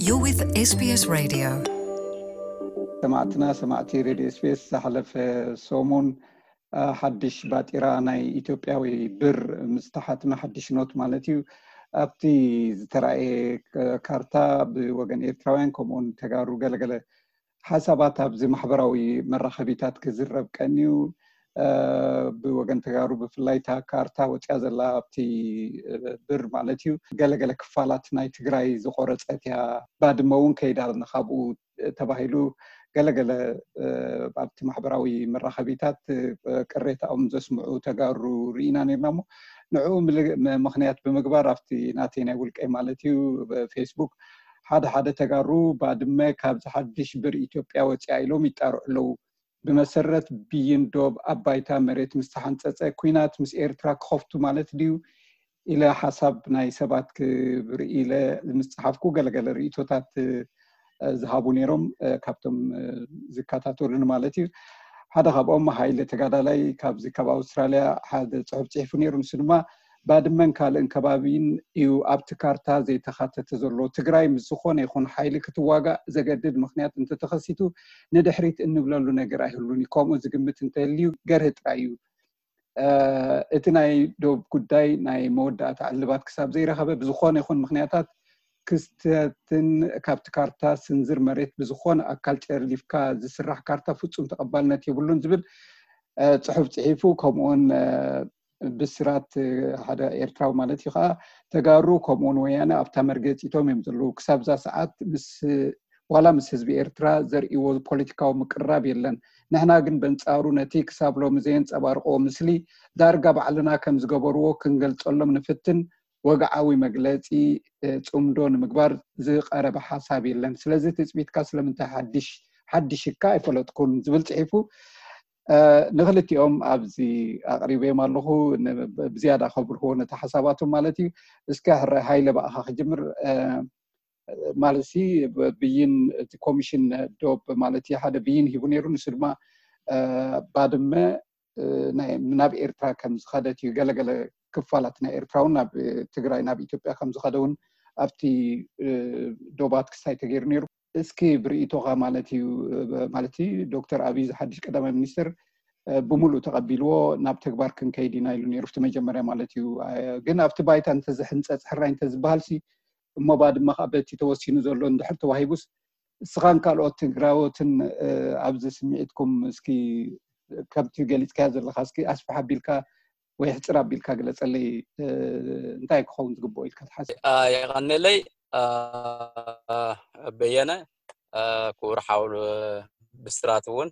You're with S B S Radio. ሰማዕትና ሰማዕቲ ሬድዮ ኤስቢኤስ፣ ዝሓለፈ ሰሙን ሓድሽ ባጢራ ናይ ኢትዮጵያዊ ብር ምስ ተሓትመ፣ ሓድሽ ኖት ማለት እዩ፣ ኣብቲ ዝተራእየ ካርታ ብወገን ኤርትራውያን ከምኡውን ተጋሩ ገለገለ ሓሳባት ኣብዚ ማሕበራዊ መራኸቢታት ክዝረብ ቀንዩ። ብወገን ተጋሩ ብፍላይ እታ ካርታ ወፅያ ዘላ ኣብቲ ብር ማለት እዩ፣ ገለገለ ክፋላት ናይ ትግራይ ዝቆረፀት እያ፣ ባድመ እውን ከይዳ ካብኡ ተባሂሉ ገለገለ ኣብቲ ማሕበራዊ መራኸቢታት ቅሬታኦም ዘስምዑ ተጋሩ ርኢና ነርና። እሞ ንዕኡ ምክንያት ብምግባር ኣብቲ ናተይ ናይ ውልቀይ ማለት እዩ ፌስቡክ ሓደ ሓደ ተጋሩ ባድመ ካብዚ ሓድሽ ብር ኢትዮጵያ ወፅያ ኢሎም ይጣርዑ ኣለዉ። ብመሰረት ብይን ዶብ ኣብ ባይታ መሬት ምስ ተሓንፀፀ፣ ኲናት ምስ ኤርትራ ክኸፍቱ ማለት ድዩ ኢለ ሓሳብ ናይ ሰባት ክብርኢ ኢለ ምስ ፀሓፍኩ፣ ገለገለ ርእቶታት ዝሃቡ ነይሮም፣ ካብቶም ዝከታተሉኒ ማለት እዩ። ሓደ ካብኦም ሃይለ ተጋዳላይ ካብዚ ካብ ኣውስትራልያ ሓደ ፅሑፍ ፅሒፉ ነይሩ። ንሱ ድማ ባድመን ካልእን ከባቢን እዩ ኣብቲ ካርታ ዘይተኻተተ ዘሎ። ትግራይ ምስ ዝኾነ ይኹን ሓይሊ ክትዋጋእ ዘገድድ ምኽንያት እንተተኸሲቱ ንድሕሪት እንብለሉ ነገር ኣይህሉን እዩ። ከምኡ ዝግምት እንተልዩ ገርህ ጥራይ እዩ። እቲ ናይ ዶብ ጉዳይ ናይ መወዳእታ ዕልባት ክሳብ ዘይረኸበ ብዝኾነ ይኹን ምኽንያታት ክስተትን ካብቲ ካርታ ስንዝር መሬት ብዝኾነ ኣካል ጨርሊፍካ ዝስራሕ ካርታ ፍጹም ተቐባልነት የብሉን ዝብል ፅሑፍ ፅሒፉ። ከምኡውን ብስራት ሓደ ኤርትራዊ ማለት እዩ ከዓ ተጋሩ ከምኡውን ወያነ ኣብታ መርገፂቶም እዮም ዘለዉ። ክሳብ እዛ ሰዓት ምስ ዋላ ምስ ህዝቢ ኤርትራ ዘርእይዎ ፖለቲካዊ ምቅርራብ የለን። ንሕና ግን በንጻሩ ነቲ ክሳብ ሎሚ ዘየንጸባርቕዎ ምስሊ ዳርጋ ባዕልና ከም ዝገበርዎ ክንገልጸሎም ንፍትን። ወግዓዊ መግለጺ ጽምዶ ንምግባር ዝቐረበ ሓሳብ የለን። ስለዚ ትጽቢትካ ስለምንታይ ሓድሽ ሓድሽካ ኣይፈለጥኩን ዝብል ጽሒፉ። ንክልቲኦም ኣብዚ ኣቕሪበዮም ኣለኹ። ብዝያዳ ከብርህዎ ነቲ ሓሳባቶም ማለት እዩ። እስከ ሃይለ ብኣኻ ክጅምር። ማለት ሲ ብይን እቲ ኮሚሽን ዶብ ማለት ሓደ ብይን ሂቡ ነይሩ። ንሱ ድማ ባድመ ናብ ኤርትራ ከም ዝኸደት እዩ። ገለገለ ክፋላት ናይ ኤርትራ እውን ናብ ትግራይ ናብ ኢትዮጵያ ከም ዝኸደ እውን ኣብቲ ዶባት ክስታይ ተገይሩ ነይሩ። እስኪ ብርእይቶኻ ማለት እዩ ማለት ዶክተር ኣብይ ዝሓድሽ ቀዳማይ ሚኒስትር ብምሉእ ተቐቢልዎ ናብ ተግባር ክንከይድ ኢና ኢሉ ነይሩ ኣብቲ መጀመርያ ማለት እዩ። ግን ኣብቲ ባይታ እንተዝሕንፀፅ ሕራይ እንተዝበሃል ሲ እሞ ባድመ ከዓ በቲ ተወሲኑ ዘሎ እንድሕር ተዋሂቡስ እስኻን ካልኦት ትግራዎትን ኣብዚ ስምዒትኩም እስኪ ከምቲ ገሊፅካዮ ዘለካ እስኪ ኣስፍሕ ኣቢልካ ወይ ሕፅር ኣቢልካ ግለፀለይ። እንታይ ክኸውን ዝግብኦ ኢልካ ትሓስብ? የቐንለይ በየነ። ክቡር ሓው ብስራት እውን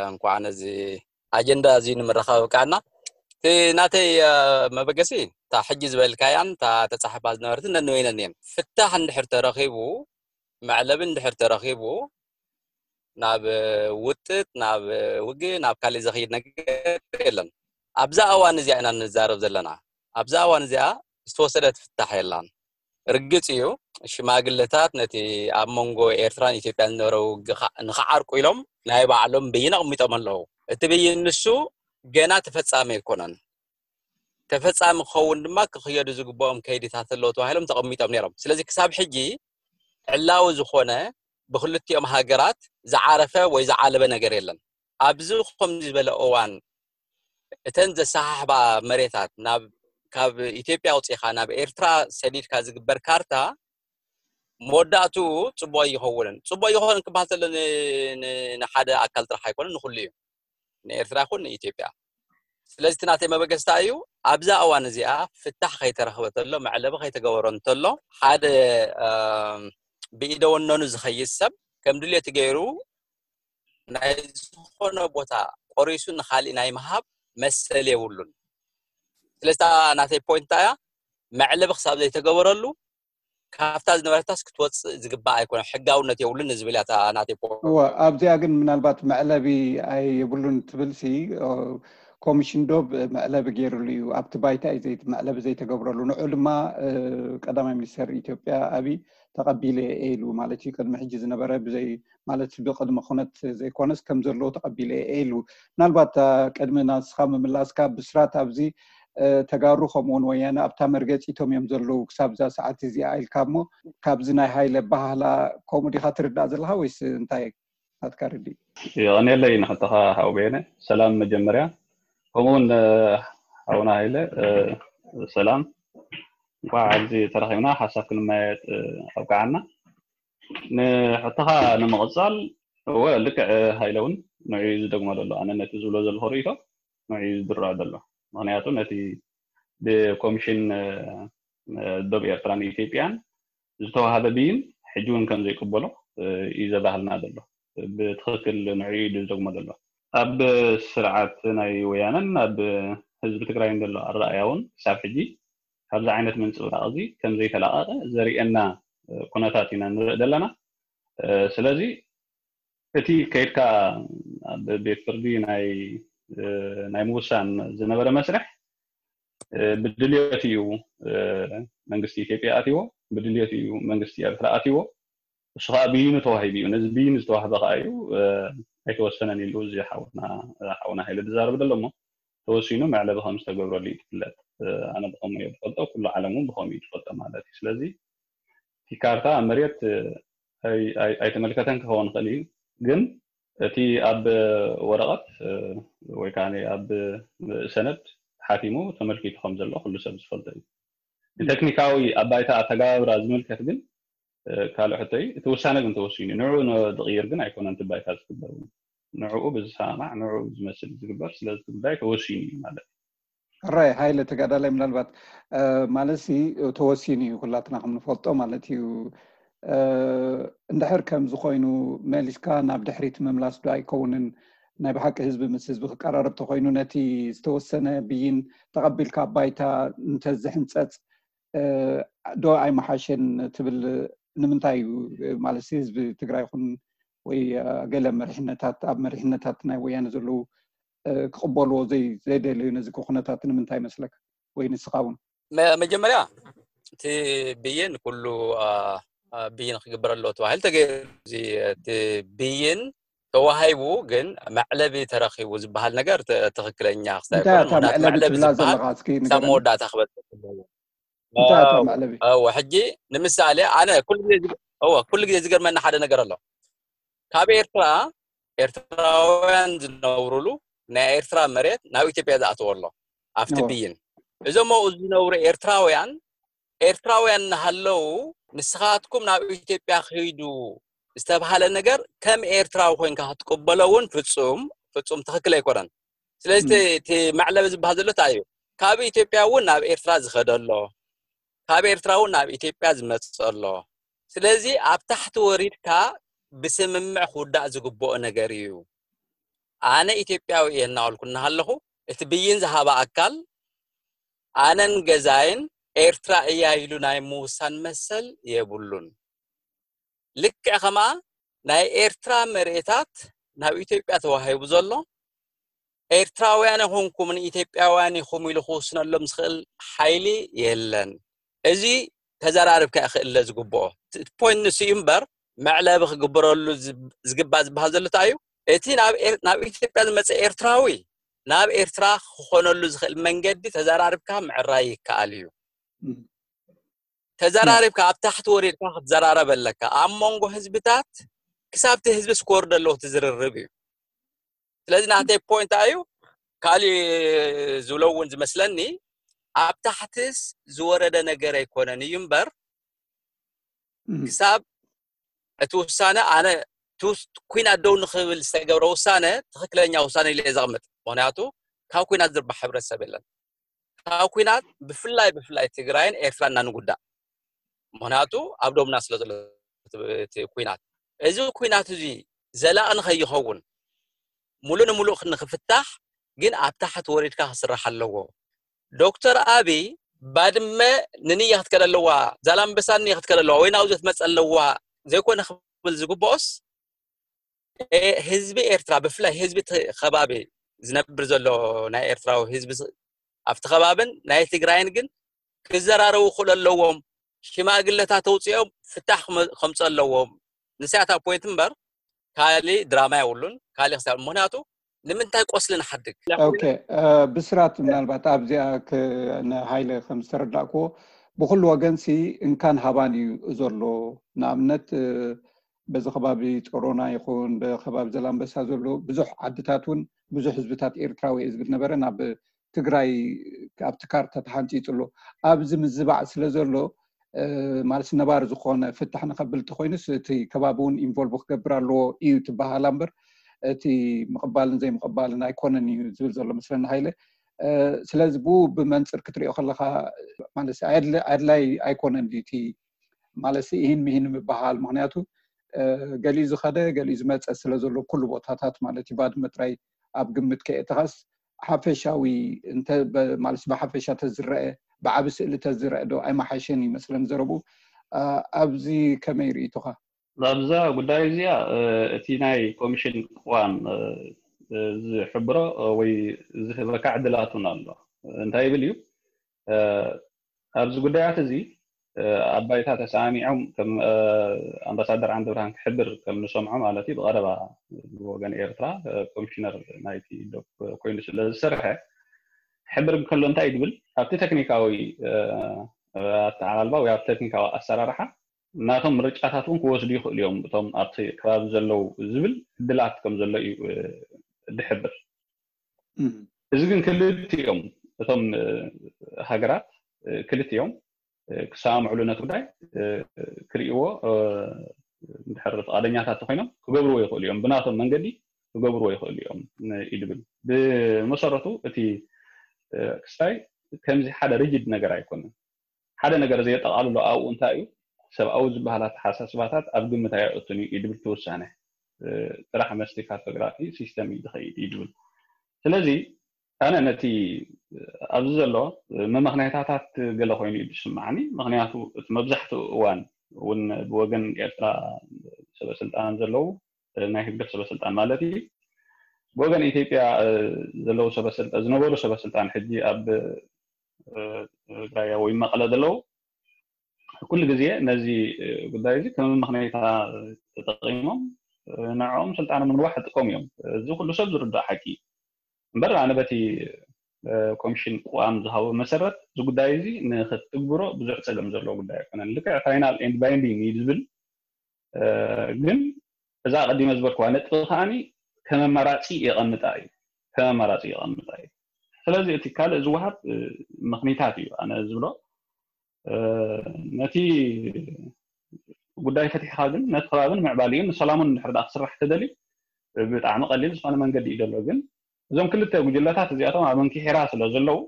እንኳዕ ነዚ ኣጀንዳ እዚ ንምርኻብ ኣብቃዕና። እቲ ናተይ መበገሲ እታ ሕጂ ዝበልካያን እታ ተፃሕፋ ዝነበረትን ነንበይነን እየን። ፍታሕ እንድሕር ተረኺቡ፣ መዕለቢ እንድሕር ተረኺቡ ናብ ውጥጥ ናብ ውግእ ናብ ካልእ ዘኽይድ ነገር የለን። ኣብዛ እዋን እዚኣ ኢና ንዛረብ ዘለና። ኣብዛ እዋን እዚኣ ዝተወሰደት ፍታሕ የላን። ርግፅ እዩ ሽማግለታት ነቲ ኣብ መንጎ ኤርትራን ኢትዮጵያን ዝነበረ ውግእ ንክዓርቁ ኢሎም ናይ ባዕሎም ብይን ኣቕሚጦም ኣለዉ። እቲ ብይን ንሱ ገና ተፈጻሚ ኣይኮነን። ተፈጻሚ ክኸውን ድማ ክኽየዱ ዝግብኦም ከይድታት ኣለዉ ተባሂሎም ተቐሚጦም ነይሮም። ስለዚ ክሳብ ሕጂ ዕላዊ ዝኾነ ብክልቲኦም ሃገራት ዝዓረፈ ወይ ዝዓለበ ነገር የለን። ኣብዚ ከምዚ ዝበለ እዋን እተን ዘሰሓሕባ መሬታት ናብ ካብ ኢትዮጵያ ኣውፂኻ ናብ ኤርትራ ሰዲድካ ዝግበር ካርታ መወዳእትኡ ፅቡቅ ኣይኸውንን። ፅቡቅ ኣይኸውንን ክበሃል ዘሎ ንሓደ ኣካል ጥራሕ ኣይኮነን፣ ንኩሉ እዩ፣ ንኤርትራ ይኹን ንኢትዮጵያ። ስለዚ እቲ ናተይ መበገስታ እዩ ኣብዛ እዋን እዚኣ ፍታሕ ከይተረኽበ ተሎ መዕለቢ ከይተገበሮ እንተሎ ሓደ ብኢደወነኑ ዝኸይድ ሰብ ከም ድልየቱ ገይሩ ናይ ዝኾነ ቦታ ቆሪሱ ንካሊእ ናይ ምሃብ መሰል የብሉን። ስለዚ ናተይ ፖይንት እያ መዕለቢ ክሳብ ዘይተገበረሉ ካብታ ዝነበረታስ ክትወፅእ ዝግባእ ኣይኮነ ሕጋውነት የብሉን ዝብል እያ ናተይ ፖይንት። ኣብዚኣ ግን ምናልባት መዕለቢ ኣይብሉን ትብል ሲ ኮሚሽን ዶብ መዕለቢ ገይሩሉ እዩ። ኣብቲ ባይታ እዩ መዕለቢ ዘይተገብረሉ። ንዑ ድማ ቀዳማይ ሚኒስተር ኢትዮጵያ ኣብይ ተቐቢለ እየ ኢሉ ማለት እዩ። ቅድሚ ሕጂ ዝነበረ ብዘይ ማለት ብቅድመ ኩነት ዘይኮነስ ከም ዘለዎ ተቐቢለ እየ ኢሉ። ምናልባት ቅድሚ ናስኻ ምምላስካ ብስራት ኣብዚ ተጋሩ ከምኡውን ወያነ ኣብታ መርገፂቶም እዮም ዘለዉ ክሳብ እዛ ሰዓት እዚኣ ኢልካ እሞ፣ ካብዚ ናይ ሃይለ ኣበሃህላ ከምኡ ዲኻ ትርዳእ ዘለኻ ወይስ እንታይ ናትካ ርድኢት? የቐንየለይ ንሕቶኻ ሓው በየነ። ሰላም መጀመርያ፣ ከምኡውን ሓውና ሃይለ ሰላም፣ እንኳዕ ኣብዚ ተራኺብና ሓሳብ ክንመያየጥ ኣብቃዓና። ንሕቶኻ ንምቕፃል፣ እወ ልክዕ ሃይለ እውን ንዑ ዝደግሞ ዘሎ፣ ኣነ ነቲ ዝብሎ ዘለኹ ርእይቶ ንዑ ዝድርዖ ዘሎ። ምክንያቱ ነቲ ብኮሚሽን ደብ ኤርትራን ኢትዮጵያን ዝተዋሃበ ብይን ሕጂ እውን ከም ዘይቅበሎ እዩ ዘባህልና ዘሎ። ብትኽክል ንዑ እዩ ዝደግሞ ዘሎ። ኣብ ስርዓት ናይ ወያነን ኣብ ህዝቢ ትግራይን ዘሎ ኣረኣያ እውን ክሳብ ሕጂ ካብዚ ዓይነት ምንፅብራቕ እዚ ከም ዘይተላቐቐ ዘርእየና ኩነታት ኢና ንርኢ ዘለና። ስለዚ እቲ ከይድካ ኣብ ቤት ፍርዲ ናይ ናይ ምውሳን ዝነበረ መስርሕ ብድልዮት እዩ መንግስቲ ኢትዮጵያ ኣትዎ፣ ብድልዮት እዩ መንግስቲ ኤርትራ ኣትዎ። እሱ ከዓ ብይኑ ተዋሂቡ እዩ። ነዚ ብይኑ ዝተዋህበ ከዓ እዩ ኣይተወሰነን ኢሉ እዚ ሓውና ሓውና ሃይለ ዝዛረብ ዘሎ እሞ ተወሲኑ መዕለቢ ከም ዝተገብረሉ እዩ ትፍለጥ። ኣነ ብኸምኡ እየ ዝፈልጦ፣ ኩሉ ዓለም እውን ብኸምኡ እዩ ዝፈልጦ ማለት እዩ። ስለዚ እቲ ካርታ ኣብ መሬት ኣይተመልከተን ክኸውን ይኽእል እዩ፣ ግን እቲ ኣብ ወረቐት ወይ ከዓ ኣብ ሰነድ ሓቲሙ ተመልኪቱ ከም ዘሎ ኩሉ ሰብ ዝፈልጦ እዩ። ንቴክኒካዊ ኣብ ባይታ ኣተገባብራ ዝምልከት ግን ካልእ ሕቶ እዩ። እቲ ውሳነ ግን ተወሲኑ እዩ። ንዑ ዝቕይር ግን ኣይኮነን እቲ ባይታ ዝግበር እውን። ንዕኡ ብዝሰማማዕ ንዕኡ ዝመስል ዝግበር፣ ስለዚ እቲ ጉዳይ ተወሲኑ እዩ ማለት እዩ። ሕራይ ሃይለ ተጋዳላይ፣ ምናልባት ማለት ሲ ተወሲኑ እዩ ኩላትና ከም ንፈልጦ ማለት እዩ። እንድሕር ከምዚ ኮይኑ መሊስካ ናብ ድሕሪት ምምላስ ዶ ኣይከውንን? ናይ ብሓቂ ህዝቢ ምስ ህዝቢ ክቀራረብ ተኮይኑ ነቲ ዝተወሰነ ብይን ተቐቢልካ ኣብ ባይታ እንተዝሕንፀፅ ዶ ኣይመሓሸን ትብል? ንምንታይ እዩ ማለት ህዝቢ ትግራይ ይኹን ወይ ገለ መሪሕነታት ኣብ መሪሕነታት ናይ ወያነ ዘለዉ ክቕበልዎ ዘይደለዩ ነዚ ኩነታት ንምንታይ ይመስለካ? ወይ ንስኻ እውን መጀመርያ እቲ ብይን ኩሉ ብይን ክግበረሎ ተባሂሉ ተገይሩ። እዚ እቲ ብይን ተዋሂቡ ግን መዕለቢ ተረኪቡ ዝበሃል ነገር ትክክለኛ ክስታይ እንታይ እታ መዕለቢ ትብላ ዘለካ እስኪ ክሳብ መወዳእታ ክበፅሕ ኣለዎ። እንታይ እታ መዕለቢ? እወ ሕጂ ንምሳሌ ኣነ ኩሉ ግዜ ዝገርመና ሓደ ነገር ኣሎ። ካብ ኤርትራ ኤርትራውያን ዝነብሩሉ ናይ ኤርትራ መሬት ናብ ኢትዮጵያ ዝኣተወ ኣሎ ኣብቲ ብይን። እዞም ኣብኡ ዝነብሩ ኤርትራውያን ኤርትራውያን እናሃለዉ ንስኻትኩም ናብ ኢትዮጵያ ክሂዱ ዝተብሃለ ነገር ከም ኤርትራዊ ኮይንካ ክትቅበሎ እውን ፍጹም ፍጹም ትኽክል ኣይኮነን። ስለዚ እቲ መዕለቢ ዝበሃል ዘሎ እንታይ እዩ? ካብ ኢትዮጵያ እውን ናብ ኤርትራ ዝኸደ ኣሎ፣ ካብ ኤርትራ እውን ናብ ኢትዮጵያ ዝመፅእ ኣሎ። ስለዚ ኣብ ታሕቲ ወሪድካ ብስምምዕ ክውዳእ ዝግብኦ ነገር እዩ። ኣነ ኢትዮጵያዊ እየ እናበልኩ እናሃለኹ እቲ ብይን ዝሃባ ኣካል ኣነን ገዛይን ኤርትራ እያ ኢሉ ናይ ምውሳን መሰል የብሉን። ልክዕ ከማ ናይ ኤርትራ መሬታት ናብ ኢትዮጵያ ተዋሂቡ ዘሎ ኤርትራውያን ይኹንኩም ንኢትዮጵያውያን ኢኹም ኢሉ ክውስነሎም ዝኽእል ሓይሊ የለን። እዚ ተዘራርብካ ክእለ ዝግብኦ ፖይንት ንሱ እዩ እምበር መዕለቢ ክግበረሉ ዝግባ ዝበሃል ዘሎ እንታይ እዩ? እቲ ናብ ኢትዮጵያ ዝመፀ ኤርትራዊ ናብ ኤርትራ ክኾነሉ ዝኽእል መንገዲ ተዘራርብካ ምዕራይ ይከኣል እዩ። ተዘራሪብካ ኣብ ታሕቲ ወሪድካ ክትዘራረብ ኣለካ። ኣብ መንጎ ህዝብታት ክሳብ እቲ ህዝቢ ስኮር ዘለዎ ትዝርርብ እዩ። ስለዚ ናተይ ፖይንት እዩ ካሊእ ዝብሎ እውን ዝመስለኒ ኣብ ታሕትስ ዝወረደ ነገር ኣይኮነን እዩ እምበር ክሳብ እቲ ውሳነ ኣነ ኩናት ደው ንክብል ዝተገብረ ውሳነ ትክክለኛ ውሳነ ኢለ ዘቕምጥ። ምክንያቱ ካብ ኩናት ዝርባሕ ሕብረተሰብ የለን። ካብ ኩናት ብፍላይ ብፍላይ ትግራይን ኤርትራን ኢና ንጉዳእ። ምክንያቱ ኣብ ዶብና ስለ ዘሎ እቲ ኩናት እዚ ኩናት እዚ ዘላቂ ንከይኸውን ሙሉእ ንሙሉእ ንክፍታሕ ግን ኣብ ታሕቲ ወሪድካ ክስራሕ ኣለዎ። ዶክተር ኣብይ ባድመ ንንየ ክትከደ ኣለዋ፣ ዛላምበሳ ንንየ ክትከደ ኣለዋ ወይ ናብዚ ክትመፀ ኣለዋ ዘይኮነ ክብል ዝግብኦስ ህዝቢ ኤርትራ ብፍላይ ህዝቢ ከባቢ ዝነብር ዘሎ ናይ ኤርትራዊ ህዝቢ ኣብቲ ከባብን ናይ ትግራይን ግን ክዘራረቡ ክእሉ ኣለዎም። ሽማግለታት ተውፅኦም ፍታሕ ከምፁ ኣለዎም። ንሳያታ ፖይንት እምበር ካሊእ ድራማ የብሉን። ካሊእ ክሳብ ምክንያቱ ንምንታይ ቆስሊ ንሓድግ? ኦኬ፣ ብስራት፣ ምናልባት ኣብዚኣ ንሃይለ ከም ዝተረዳእክዎ፣ ብኩሉ ወገንሲ እንካን ሃባን እዩ ዘሎ። ንኣብነት፣ በዚ ከባቢ ጾሮና ይኹን ብከባቢ ዘላንበሳ ዘሎ ብዙሕ ዓድታት እውን ብዙሕ ህዝብታት ኤርትራዊ እየ ዝብል ነበረ ናብ ትግራይ ኣብቲ ካርታ ተሓንፂፁ ኣሎ። ኣብዚ ምዝባዕ ስለ ዘሎ፣ ማለት ነባሪ ዝኾነ ፍታሕ ንኸብል እንተኮይኑስ እቲ ከባቢ እውን ኢንቮልቭ ክገብር ኣለዎ እዩ ትበሃላ እምበር፣ እቲ ምቕባልን ዘይምቕባልን ኣይኮነን እዩ ዝብል ዘሎ መስለኒ ሃይለ። ስለዚ ብኡ ብመንፅር ክትሪኦ ከለካ፣ ማለት ኣድላይ ኣይኮነን ድዩ እቲ፣ ማለት ይህን ምሂን ምበሃል? ምክንያቱ ገሊኡ ዝኸደ ገሊኡ ዝመፀ ስለ ዘሎ ኩሉ ቦታታት ማለት እዩ። ባድመ ጥራይ ኣብ ግምት ከየእተኻስ ሓፈሻዊ፣ ማለት ብሓፈሻ ተዝረአ፣ ብዓቢ ስእሊ ተዝረአ ዶ ኣይመሓሸን ይመስለኒ ዘረቡ። ኣብዚ ከመይ ርእይቶኻ? ኣብዛ ጉዳይ እዚኣ እቲ ናይ ኮሚሽን ቅዋም ዝሕብሮ ወይ ዝህበካ ዕድላት እውን ኣሎ። እንታይ ይብል እዩ? ኣብዚ ጉዳያት እዚ ኣብ ባይታ ተሰማሚዖም፣ ከም ኣምባሳደር ዓንደብርሃን ክሕብር ከም ንሰምዖ ማለት እዩ፣ ብቐረባ ብወገን ኤርትራ ኮሚሽነር ናይቲ ዶብ ኮይኑ ስለ ዝሰርሐ ክሕብር እንከሎ እንታይ እዩ ዝብል? ኣብቲ ቴክኒካዊ ኣተዓላልባ ወይ ኣብ ቴክኒካዊ ኣሰራርሓ ናቶም ምርጫታት እውን ክወስዱ ይኽእሉ እዮም እቶም ኣብቲ ከባቢ ዘለዉ ዝብል ዕድላት ከም ዘሎ እዩ ዝሕብር። እዚ ግን ክልቲኦም እቶም ሃገራት ክልቲኦም ክሰማምዕሉ ነቲ ጉዳይ ክርእይዎ እንድሕር ፍቓደኛታት ኮይኖም ክገብርዎ ይኽእሉ እዮም፣ ብናቶም መንገዲ ክገብርዎ ይኽእሉ እዮም እዩ ዝብል። ብመሰረቱ እቲ ክስታይ ከምዚ ሓደ ሪጅድ ነገር ኣይኮነን። ሓደ ነገር ዘየጠቓልሎ ኣብኡ እንታይ እዩ? ሰብኣዊ ዝበሃል ኣተሓሳስባታት ኣብ ግምት ኣየእቱን እዩ እዩ ዝብል እቲ ውሳነ። ጥራሕ መስቲ ካርቶግራፊ ሲስተም እዩ ዝኸይድ እዩ ዝብል። ስለዚ ኣነ ነቲ ኣብዚ ዘሎ መመኽነያታት ገለ ኮይኑ እዩ ዝስማዓኒ። ምክንያቱ እቲ መብዛሕትኡ እዋን እውን ብወገን ኤርትራ ሰበስልጣን ዘለዉ፣ ናይ ህግደፍ ሰበስልጣን ማለት እዩ፣ ብወገን ኢትዮጵያ ዘለዉ ሰበስልጣን፣ ዝነበሩ ሰበስልጣን ሕጂ ኣብ ትግራይ ወይ መቐለ ዘለዉ ኩሉ ግዜ ነዚ ጉዳይ እዚ ከም መመኽነይታ ተጠቒሞም ንዕኦም ስልጣኖም ንምንዋሕ ይጥቀሙ እዮም። እዚ ኩሉ ሰብ ዝርዳእ ሓቂ እዩ። እምበር ኣነ በቲ ኮሚሽን ቅዋም ዝሃቦ መሰረት እዚ ጉዳይ እዚ ንክትግብሮ ብዙሕ ፀገም ዘለዎ ጉዳይ ኣይኮነን። ልክዕ ፋይናል ኤንድ ባይንዲንግ እዩ ዝብል፣ ግን እዛ ቀዲመ ዝበልክዋ ነጥቢ ከዓኒ ከም ኣማራፂ የቐምጣ እዩ፣ ከም ኣማራፂ የቐምጣ እዩ። ስለዚ እቲ ካልእ ዝወሃብ ምኽኒታት እዩ ኣነ ዝብሎ። ነቲ ጉዳይ ፈቲሕካ ግን ነቲ ከባቢ ንምዕባሊኡን ንሰላሙን እንድሕር ደኣ ክስራሕ ተደልዩ ብጣዕሚ ቀሊል ዝኾነ መንገዲ እዩ ዘሎ። ግን እዞም ክልተ ጉጅለታት እዚኣቶም ኣብ እንክሒራ ስለ ዘለዉ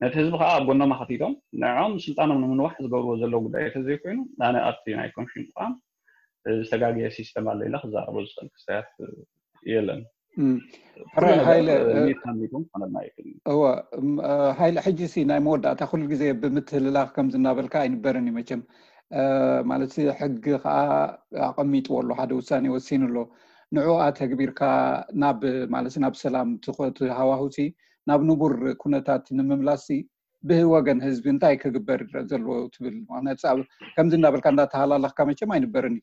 ነቲ ህዝቢ ከዓ ኣብ ጎኖም ኣኸቲቶም ንዕኦም ስልጣኖም ንምንዋሕ ዝገብርዎ ዘለዉ ጉዳይ ተዘይኮይኑ ኣነ ኣብቲ ናይ ኮሚሽን ተቋም ዝተጋገየ ሲስተም ኣሎ ኢለ ክዛረቦ ዝኽእል ክስተያት የለን። ሕራይ ሃይለ ሚት ሓሚቶም ክኾነልና ይኽእል እዩ። እወ፣ እም፣ እ፣ ሃይለ፣ ሕጂ ሲ ናይ መወዳእታ ኩሉ ግዜ ብምትህልላኽ ከምዚ እናበልካ ኣይንበርን እዩ መቸም። እ፣ ማለት ሕጊ ከዓ ኣቐሚጥዎ ኣሎ፣ ሓደ ውሳኔ ወሲኑ ኣሎ። ንዑ ኣተግቢርካ ናብ፣ ማለት ናብ ሰላም ትኾ-፣ ትሃዋሁ ሲ ናብ ንቡር ኩነታት ንምምላስ ሲ ብወገን ህዝቢ እንታይ ክግበር ዘለዎ ትብል? ምክንያቱ ኣብ ከምዚ እናበልካ እንዳተሃላለኽካ መቸም ኣይንበርን እዩ።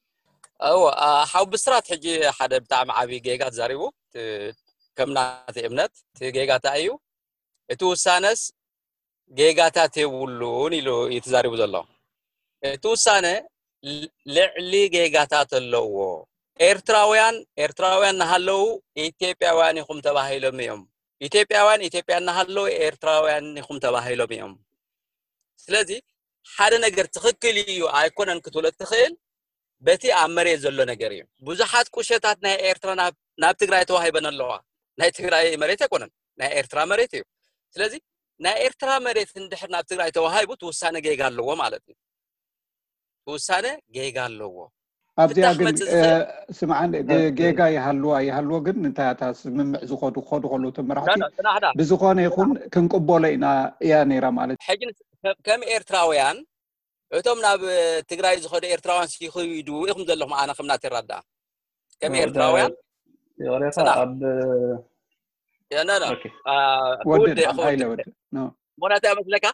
እዎ፣ ኣ፣ ሓው ብስራት ሕጂ ሓደ ብጣዕሚ ዓብዪ ጌጋ ተዛሪቡ። እቲ፣ ከም ናተይ እምነት እቲ ጌጋ እንታይ እዩ? እቲ ውሳነስ ጌጋታት የብሉን ኢሉ እዩ ተዛሪቡ ዘሎ። እቲ ውሳነ ል-፣ ልዕሊ ጌጋታት ኣለዎ። ኤርትራውያን፣ ኤርትራውያን እናሃለዉ ኢትዮጵያውያን ኢኹም ተባሂሎም እዮም። ኢትዮጵያውያን፣ ኢትዮጵያ እናሃለዉ ኤርትራውያን ኢኹም ተባሂሎም እዮም። ስለዚ ሓደ ነገር ትኽክል እዩ ኣይኮነን ክትብሎ እትኽእል በቲ ኣብ መሬት ዘሎ ነገር እዩ። ብዙሓት ቁሸታት ናይ ኤርትራ ናብ፣ ናብ ትግራይ ተዋሂበን ኣለዋ። ናይ ትግራይ መሬት ኣይኮነን፣ ናይ ኤርትራ መሬት እዩ። ስለዚ ናይ ኤርትራ መሬት እንድሕር ናብ ትግራይ ተዋሂቡ እቲ ውሳነ ጌጋ ኣለዎ ማለት እዩ። እቲ ውሳነ ጌጋ ኣለዎ። ኣብዚኣ ፍታሕ ግን፣ መጽእ እ፣ ዝኽእል ስምዓን፣ እ፣ ጌጋ ይሃልዋ ይሃልዎ ግን እንታይ እታ ስምምዕ ዝኸዱ ክኸዱ ከለዉ እቶም መራሕቲ ዳዳ፣ ጽናሕ ዳ። ብዝኾነ ይኹን ክንቅበሎ ኢና እያ ነይራ ማለት እዩ። ሕጂ ን-፣ ከ-፣ ከም ኤርትራውያን እቶም ናብ ትግራይ ዝኸዱ ኤርትራውያን ሲኽዱ ኢኹም ዘለኹም፣ ኣነ ከም ናተይ ረዳእ ከም እ፣ ኤርትራውያን ይቕሬታ፣ ጽናሕ። ኣብ ያ፣ ኖ፣ ኖ። ኦኬ። አ፣ ወድድ ክውድእ፣ ክውድእ። ሃይለ ወድድ። ኖ። ምኽንያቱ እያ መስለካ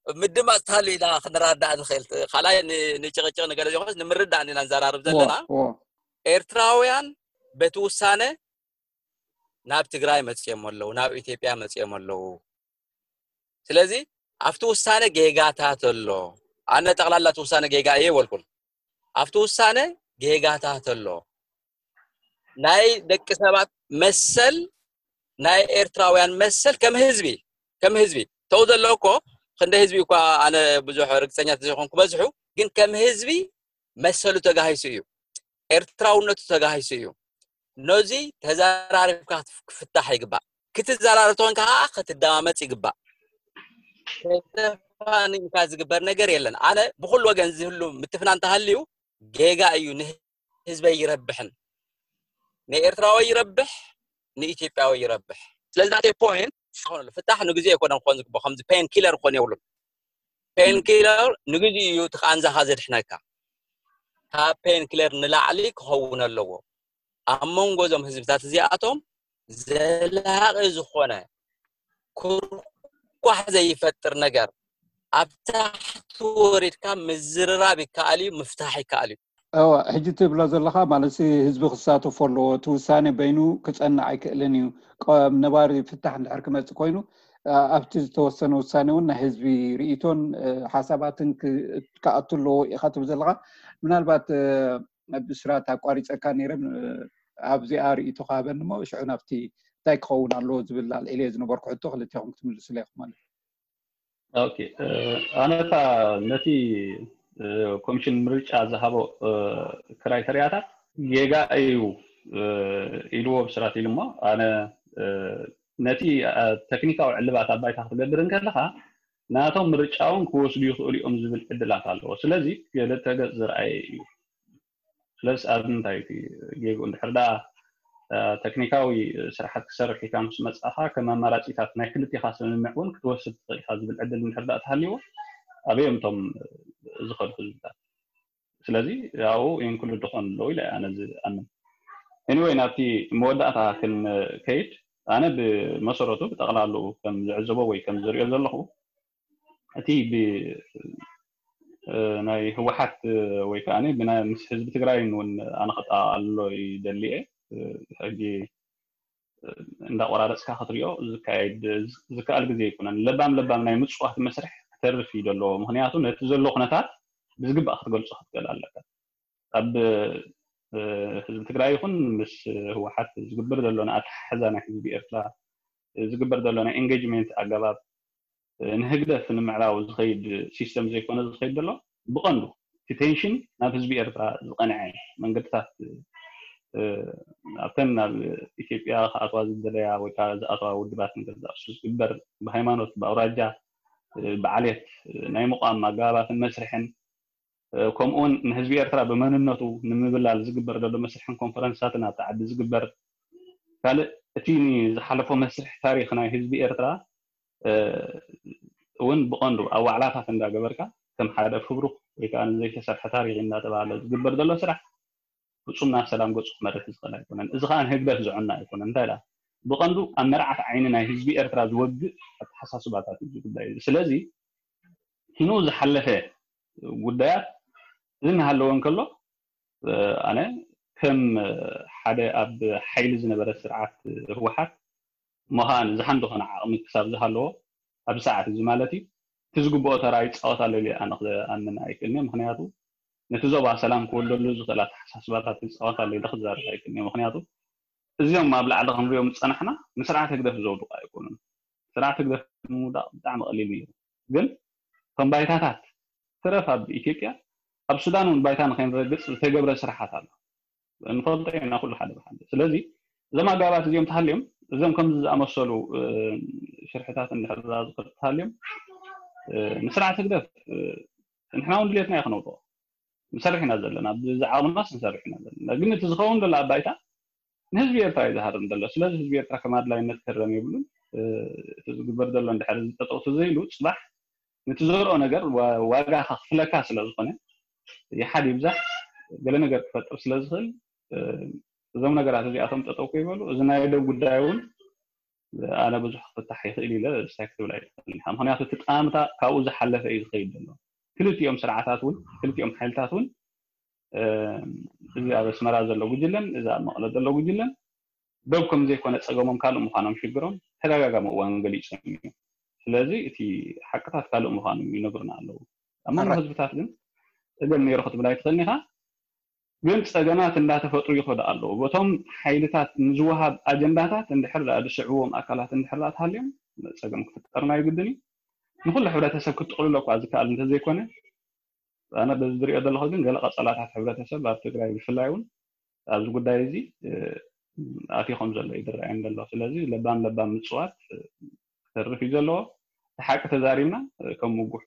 ምድማፅ ተሃልዩ ኢና ክንረዳእ ንኽእል። ካልኣይ ን-፣ ንጭቕጭቕ ንገለ ዘይኮነስ ንምርዳእ ኢና ንዘራርብ ዎ፣ ዘለና። ዎ። ኤርትራውያን በቲ ውሳነ ናብ ትግራይ መፅኦም ኣለዉ፣ ናብ ኢትዮጵያ መፅኦም ኣለዉ። ስለዚ ኣብቲ ውሳነ ጌጋታት ኣሎ። ኣነ ጠቕላላ እቲ ውሳነ ጌጋ እየ ይበልኩን። ኣብቲ ውሳነ ጌጋታት ኣሎ። ናይ ደቂ ሰባት መሰል፣ ናይ ኤርትራውያን መሰል ከም ህዝቢ፣ ከም ህዝቢ ተው ዘሎ እኮ ክንደ ህዝቢ እኳ ኣነ ብዙሕ ርግፀኛ ተዘይኮንኩ በዝሑ፣ ግን ከም ህዝቢ መሰሉ ተጋሂሱ እዩ፣ ኤርትራውነቱ ተጋሂሱ እዩ። ነዚ ተዘራሪብካ ክፍታሕ ይግባእ። ክትዘራረብ ተኾንካ ከዓ ክትደማመፅ ይግባእ። ተፋኒንካ ዝግበር ነገር የለን። ኣነ ብኩሉ ወገን ዝህሉ ምትፍናን እንተሃልዩ ጌጋ እዩ፣ ንህዝበይ ይረብሕን፣ ንኤርትራዊ ይረብሕ፣ ንኢትዮጵያዊ ይረብሕ። ስለዚ ናተይ ፖይንት ዝኾነ ፍታሕ ንግዜ ኣይኮነን ክኾን ዝግባእ፣ ከምዚ ፔን ኪለር ክኾን የብሉን። ፔን ኪለር ንግዜ እዩ እቲ ቃንዛኻ ዘድሕነካ። ካብ ፔን ኪለር ንላዕሊ ክኸውን ኣለዎ። ኣብ መንጎ እዞም ህዝብታት እዚኣቶም ዘላቒ ዝኾነ ኩርኳሕ ዘይፈጥር ነገር ኣብ ታሕቲ ወሪድካ ምዝርራብ ይከኣል እዩ፣ ምፍታሕ ይከኣል እዩ። እወ፣ ሕጂ ትብሎ ዘለኻ ማለት ህዝቢ ክሳተፎ ኣለዎ። እቲ ውሳኔ በይኑ ክጸንዕ ኣይክእልን እዩ። ነባሪ ፍታሕ እንድሕር ክመጽእ ኮይኑ ኣብቲ ዝተወሰነ ውሳኔ እውን ናይ ህዝቢ ርእይቶን ሓሳባትን ክኣቱ ኣለዎ ኢኻ ትብል ዘለኻ። ምናልባት ብስራት ኣቋሪፀካ ነይረ፣ ኣብዚኣ ርእይቶ ክሃበኒ እሞ ሽዑ ናብቲ እንታይ ክኸውን ኣለዎ ዝብል ኣልዒለ ዝነበርኩ ሕቶ ክልቴኹም ክትምልሱለ ኢኹም ማለት እዩ። ኦኬ፣ ኣነታ ነቲ ኮሚሽን ምርጫ ዝሃቦ ክራይተርያታት ጌጋ እዩ ኢልዎ ብስራት ኢሉ እሞ ኣነ ነቲ ተክኒካዊ ዕልባት ኣብ ባይታ ክትገብር እንከለካ ናቶም ምርጫ እውን ክወስዱ ይኽእሉ እዮም ዝብል ዕድላት ኣለዎ። ስለዚ ክልተ ገፅ ዝረኣየ እዩ። ስለዚ ኣብ ምንታይ እቲ ጌግኡ እንድሕር ደኣ ተክኒካዊ ስራሓት ክሰርሕ ኢልካ ምስ መጻኻ ከም ኣማራጺታት ናይ ክልቴኻ ስምምዕ እውን ክትወስድ ትኽእል ኢኻ ዝብል ዕድል እንድሕር ደኣ ተሃልይዎ ኣበዮም እቶም ዝኸዱ ህዝብታት። ስለዚ ኣብኡ ኢንክሉድ ክኾኑ ኣለዉ ኢለ ኣነ ዝኣምን። ኤኒወይ ናብቲ መወዳእታ ክንከይድ ኣነ ብመሰረቱ ብጠቕላልኡ ከም ዝዕዘቦ ወይ ከም ዝሪኦ ዘለኹ እቲ ብ ናይ ህወሓት ወይ ከዓ ብናይ ምስ ህዝቢ ትግራይን እውን ኣነ ከጠቓልሎ ይደሊ እየ። ሕጂ እንዳቆራረፅካ ክትሪኦ ዝካየድ ዝከኣል ግዜ ኣይኮነን። ለባም ለባም ናይ ምፅዋት መስርሕ ክተርፍ እዩ ዘለዎ። ምክንያቱ ነቲ ዘሎ ኩነታት ብዝግባእ ክትገልፆ ክትክእል ኣለካ። ኣብ ህዝቢ ትግራይ ይኹን ምስ ህወሓት ዝግበር ዘሎ ንኣተሓሕዛ ናይ ህዝቢ ኤርትራ ዝግበር ዘሎ ናይ ኤንጌጅሜንት ኣገባብ ንህግደፍ ንምዕራው ዝኸይድ ሲስተም ዘይኮነ ዝኸይድ ዘሎ ብቐንዱ እቲ ቴንሽን ናብ ህዝቢ ኤርትራ ዝቐንዐ መንገድታት ኣብተን ናብ ኢትዮጵያ ክኣትዋ ዝደለያ ወይ ከዓ ዝኣትዋ ውድባት ንገዛእሱ ዝግበር ብሃይማኖት ብኣውራጃ ብዓሌት ናይ ምቋም ኣገባባትን መስርሕን ከምኡውን ንህዝቢ ኤርትራ ብመንነቱ ንምብላል ዝግበር ዘሎ መስርሕን ኮንፈረንሳትን ኣብቲ ዓዲ ዝግበር ካልእ እቲ ዝሓለፎ መስርሕ ታሪክ ናይ ህዝቢ ኤርትራ እውን ብቐንዱ ኣብ ዋዕላታት እንዳገበርካ ከም ሓደ ፍብሩክ ወይ ከዓ ዘይተሰርሐ ታሪክ እንዳተባሃለ ዝግበር ዘሎ ስራሕ ፍፁም ናብ ሰላም ገፁ ክመርሕ ዝኽእል ኣይኮነን። እዚ ከዓ ንህግደፍ ዝዕና ኣይኮነን። እንታይ ዳ ብቐንዱ ኣብ መርዓት ዓይኒ ናይ ህዝቢ ኤርትራ ዝወግእ ኣተሓሳስባታት እዩ ጉዳይ እዚ። ስለዚ ኪኑ ዝሓለፈ ጉዳያት እዚ እናሃለወ እንከሎ ኣነ ከም ሓደ ኣብ ሓይሊ ዝነበረ ስርዓት ህወሓት ምዃን ዝሓን ዝኾነ ዓቕሚ ክሳብ ዝሃለዎ ኣብዚ ሰዓት እዚ ማለት እዩ እቲ ዝግብኦ ተራ ይፃወት ኣሎ ኢለ ኣነ ክኣምን ኣይክእልን እየ። ምክንያቱ ነቲ ዞባ ሰላም ክወልደሉ ዝኽእል ኣተሓሳስባታት ይፃወት ኣሎ ኢለ ክዛረብ ኣይክእልን እየ። ምክንያቱ እዚኦም ኣብ ላዕሊ ክንሪኦም ዝፀናሕና ንስርዓት ህግደፍ ዘውድቑ ኣይኮኑን። ስርዓት ህግደፍ ንምውዳቕ ብጣዕሚ ቀሊል ነይሩ። ግን ከም ባይታታት ትረፍ ኣብ ኢትዮጵያ ኣብ ሱዳን እውን ባይታ ንከይንረግፅ ዝተገብረ ስራሓት ኣሎ። ንፈልጦ ኢና ኩሉ ሓደ ብሓደ። ስለዚ እዞም ኣገባባት እዚኦም ተሃልዮም እዞም ከምዚ ዝኣመሰሉ ሽርሕታት እንድሕር ዝኽእል ተሃልዮም ንስርዓት ህግደፍ ንሕና እውን ድሌትና እዩ ክነውድቆ ንሰርሕ ኢና ዘለና፣ ብዝዓቕምናስ ንሰርሕ ኢና ዘለና። ግን እቲ ዝኸውን ዘሎ ኣብ ባይታ ንህዝቢ ኤርትራ እዩ ዝሃርም ዘሎ። ስለዚ ህዝቢ ኤርትራ ከም ኣድላይነት ክህረም የብሉን። እቲ ዝግበር ዘሎ እንድሕር እዚ ጠጠው ተዘይሉ ፅባሕ ነቲ ዘርኦ ነገር ዋጋ ከኽፍለካ ስለ ዝኾነ ይሓድ ይብዛሕ ገለ ነገር ክፈጥር ስለ ዝኽእል እዞም ነገራት እዚኣቶም ጠጠው ከይበሉ እዚ ናይ ደብ ጉዳይ እውን ኣነ ብዙሕ ክፍታሕ ይኽእል ኢለ ስታይ ክትብል ኣይትኽእል ኢኻ። ምክንያቱ እቲ ጠማምታ ካብኡ ዝሓለፈ እዩ ዝኸይድ ዘሎ። ክልቲኦም ስርዓታት እውን ክልቲኦም ሓይልታት እውን እዚ ኣብ ኣስመራ ዘሎ ጉጅለን እዚ ኣብ መቐለ ዘሎ ጉጅለን ዶብ ከም ዘይኮነ ጸገሞም ካልእ ምዃኖም ሽግሮም ተደጋጋሚ እዋን ገሊጾም እዮም። ስለዚ እቲ ሓቅታት ካልእ ምዃኑ ይነግሩና ኣለዉ። ኣብ መንጎ ኣረ- ህዝብታት ግን ጸገም ነይሩ ክትብል ኣይትኽእልን ኢኻ። ግን ጸገማት እንዳተፈጥሩ ይኸዱ ኣለዉ። በቶም ሓይልታት ንዝወሃብ ኣጀንዳታት እንድሕር ደኣ ዝስዕብዎም ኣካላት እንድሕር ደኣ ተሃልዮም ጸገም ክፍጠርና ይግድን እዩ። ንኹሉ ሕብረተሰብ ክትጥቕልሎ እኳ ዝከኣል እንተዘይኮነ ኣነ በዚ ዝሪኦ ዘለኹ ግን ገለ ቀጸላታት ሕብረተሰብ ኣብ ትግራይ ብፍላይ እውን ኣብዚ ጉዳይ እዚ ኣትዩ ከም ዘሎ እዩ ዝረኣየኒ ዘሎ። ስለዚ ለባም ለባም ምፅዋት ክተርፍ እዩ ዘለዎ። እቲ ሓቂ ተዛሪብና ከም ምጉሑ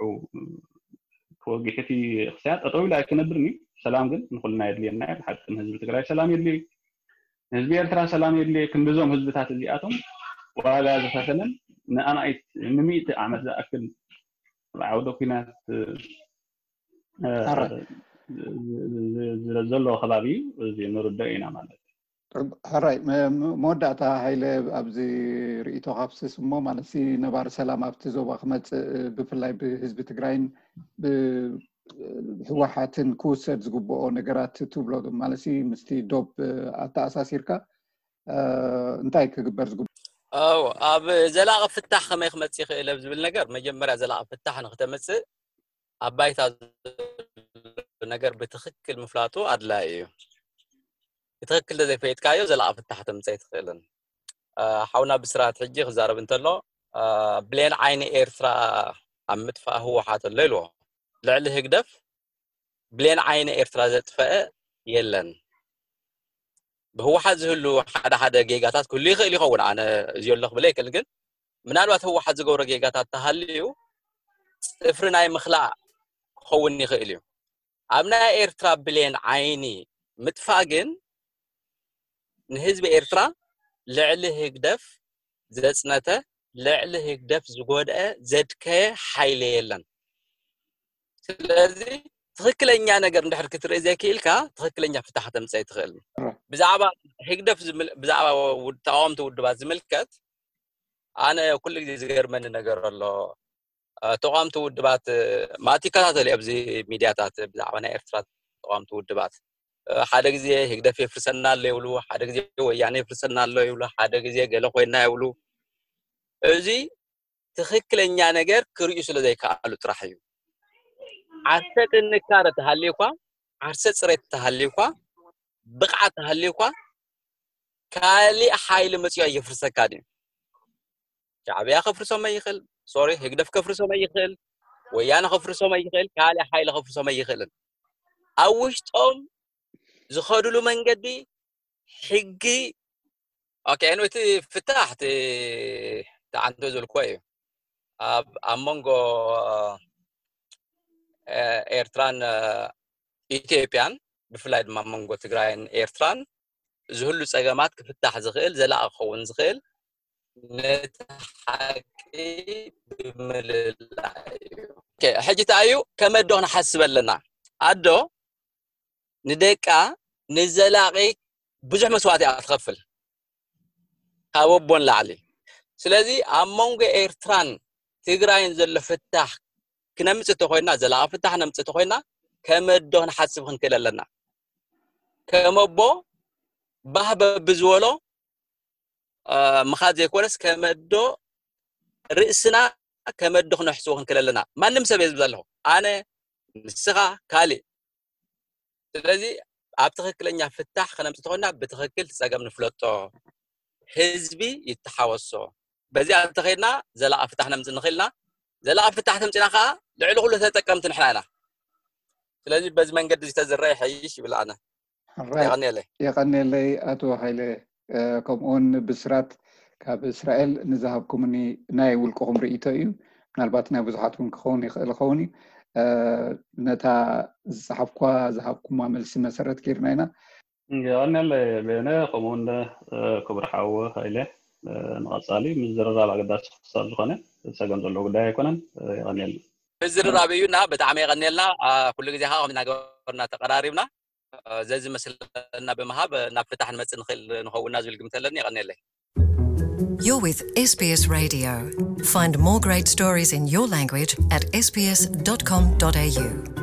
ክወግሕ እቲ ክስያ ጠጠው ኢሉ ኣይክነብርን እዩ። ሰላም ግን ንኩልና የድልየና እዩ። ብሓቂ ንህዝቢ ትግራይ ሰላም የድልዩ፣ ንህዝቢ ኤርትራ ሰላም የድልዩ። ክንድዞም ህዝብታት እዚኣቶም ዋጋ ዝኸፈለን ንኣማኢት ንምእቲ ዓመት ዝኣክል ኣብ ዓውደ ኩናት ሕራይ ዘሎ ከባቢ እዩ። እዚ ንርደኦ ኢና ማለት እዩ። ሕራይ መወዳእታ ሃይለ ኣብዚ ርእይቶ ካብስስ እሞ ማለት ነባሪ ሰላም ኣብቲ ዞባ ክመፅእ ብፍላይ ብህዝቢ ትግራይን ብህወሓትን ክውሰድ ዝግብኦ ነገራት ትብሎ ማለት ምስቲ ዶብ ኣተኣሳሲርካ እንታይ ክግበር ዝግብኦ? ኣብ ዘላቂ ፍታሕ ከመይ ክመፅእ ይኽእል ኣብ ዝብል ነገር መጀመርያ ዘላቂ ፍታሕ ንክተምፅእ ኣብ ባይታ ነገር ብትኽክል ምፍላጡ ኣድላይ እዩ። ብትኽክል ተዘይፈይጥካዮ ዘላቂ ፍታሕ ተምፀ ኣይትኽእልን። ሓውና ብስራት ሕጂ ክዛረብ እንተሎ ብሌን ዓይኒ ኤርትራ ኣብ ምጥፋእ ህወሓት ኣሎ ኢልዎ። ልዕሊ ህግደፍ ብሌን ዓይኒ ኤርትራ ዘጥፈአ የለን። ብህወሓት ዝህሉ ሓደ ሓደ ጌጋታት ክህሉ ይኽእል ይኸውን። ኣነ እዚዮ ኣሎ ክብል ኣይክእል፣ ግን ምናልባት ህወሓት ዝገብሮ ጌጋታት ተሃልዩ ፅፍሪ ናይ ምኽላእ ክኸውን ይኽእል እዩ። ኣብ ናይ ኤርትራ ብሌን ዓይኒ ምጥፋእ ግን ንህዝቢ ኤርትራ ልዕሊ ህግደፍ ዘፅነተ፣ ልዕሊ ህግደፍ ዝጎድአ ዘድከየ ሓይሊ የለን። ስለዚ ትኽክለኛ ነገር እንድሕር ክትርኢ ዘይክኢልካ ትኽክለኛ ፍታሕ ተምፀ ኣይትኽእል። ብዛዕባ ህግደፍ ብዛዕባ ተቃወምቲ ውድባት ዝምልከት ኣነ ኩሉ ግዜ ዝገርመኒ ነገር ኣሎ። ተቃወምቲ ውድባት ማእቲ ይከታተል ኣብዚ ሚድያታት ብዛዕባ ናይ ኤርትራ ተቃወምቲ ውድባት ሓደ ግዜ ህግደፍ የፍርሰና ኣሎ ይብሉ፣ ሓደ ግዜ ወያነ የፍርሰና ኣሎ ይብሉ፣ ሓደ ግዜ ገለ ኮይና ይብሉ። እዚ ትኽክለኛ ነገር ክርእዩ ስለ ዘይከኣሉ ጥራሕ እዩ። ዓርሰ ጥንካረ ተሃልዩኳ፣ ዓርሰ ፅሬት ተሃልዩኳ፣ ብቕዓት ተሃልዩኳ ካሊእ ሓይሊ መፅዮ የፍርሰካ ድዩ? ሻዕብያ ከፍርሶም ይኽእል፣ ሶሪ ህግደፍ ከፍርሶም ይኽእል፣ ወያነ ከፍርሶም ይኽእል፣ ካሊእ ሓይሊ ከፍርሶም ይኽእልን ኣብ ውሽጦም ዝኸዱሉ መንገዲ ሕጊ ኦኬ። እቲ ፍታሕ ተዓንቶ ዘልኮ እዩ ኣብ ኣብ መንጎ ኤርትራን ኢትዮጵያን ብፍላይ ድማ መንጎ ትግራይን ኤርትራን ዝህሉ ፀገማት ክፍታሕ ዝኽእል ዘላቂ ክኸውን ዝኽእል ነቲ ሓቂ ብምልላይ እዩ። ሕጂ እንታይ እዩ ከመዶ ክንሓስብ ኣለና? ኣዶ ንደቃ ንዘላቂ ብዙሕ መስዋእቲ እያ ትኸፍል ካብ ኣቦ ንላዕሊ። ስለዚ ኣብ መንጎ ኤርትራን ትግራይን ዘሎ ፍታሕ ክነምፅእ ተኮይና፣ ዘላቂ ፍታሕ ነምፅእ ተኮይና ከመዶ ክንሓስብ ክንክእል ኣለና። ከመቦ ባህ በብዝበሎ ምኻድ ዘይኮነስ ከመዶ ርእስና ከመዶ ክነሕስቦ ክንክእል ኣለና። ማንም ሰብ እየ ዝብል ዘለኹ፣ ኣነ፣ ንስኻ፣ ካሊእ። ስለዚ ኣብ ትኽክለኛ ፍታሕ ከነምፅእ ተኮይና ብትኽክል እቲ ፀገም ንፍለጦ፣ ህዝቢ ይተሓወሶ። በዚኣ እንተኸይድና ዘላቂ ፍታሕ ነምፅእ ንኽእልና። ዘላቂ ፍታሕ ተምፅና ከዓ ልዕሊ ኩሉ ተጠቀምቲ ንሕና ኢና። ስለዚ በዚ መንገዲ እዚ ተዝረአ ይሐይሽ ይብል ኣነ። የቐንየለይ። የቐንየለይ ኣቶ ሃይለ። ከምኡውን ብስራት ካብ እስራኤል ንዝሃብኩምኒ ናይ ውልቅኹም ርእይቶ እዩ። ምናልባት ናይ ብዙሓት እውን ክኸውን ይኽእል ይኸውን እዩ። ነታ ዝፀሓፍኳ ዝሃብኩማ መልሲ መሰረት ጌርና ኢና። የቐንየለይ ቤነ፣ ከምኡውን ክቡር ሓው ሃይለ። ንቐፃሊ ምዝርራብ ኣገዳሲ ክሳብ ዝኾነ ፀገም ዘለዎ ጉዳይ ኣይኮነን። የቐንየልና። ምዝርራብ እዩና፣ ብጣዕሚ የቐንየልና። ኩሉ ግዜ ከዓ ከምዚ እናገበርና ተቐራሪብና ዘዝመስለና ብምሃብ ናብ ፍታሕ ንመፅእ ንኽእል ንኸውንና ዝብል ግምት ኣለኒ። የቐንየለይ። You're with S B S Radio. Find more great stories in your language at S B S dot com dot A U.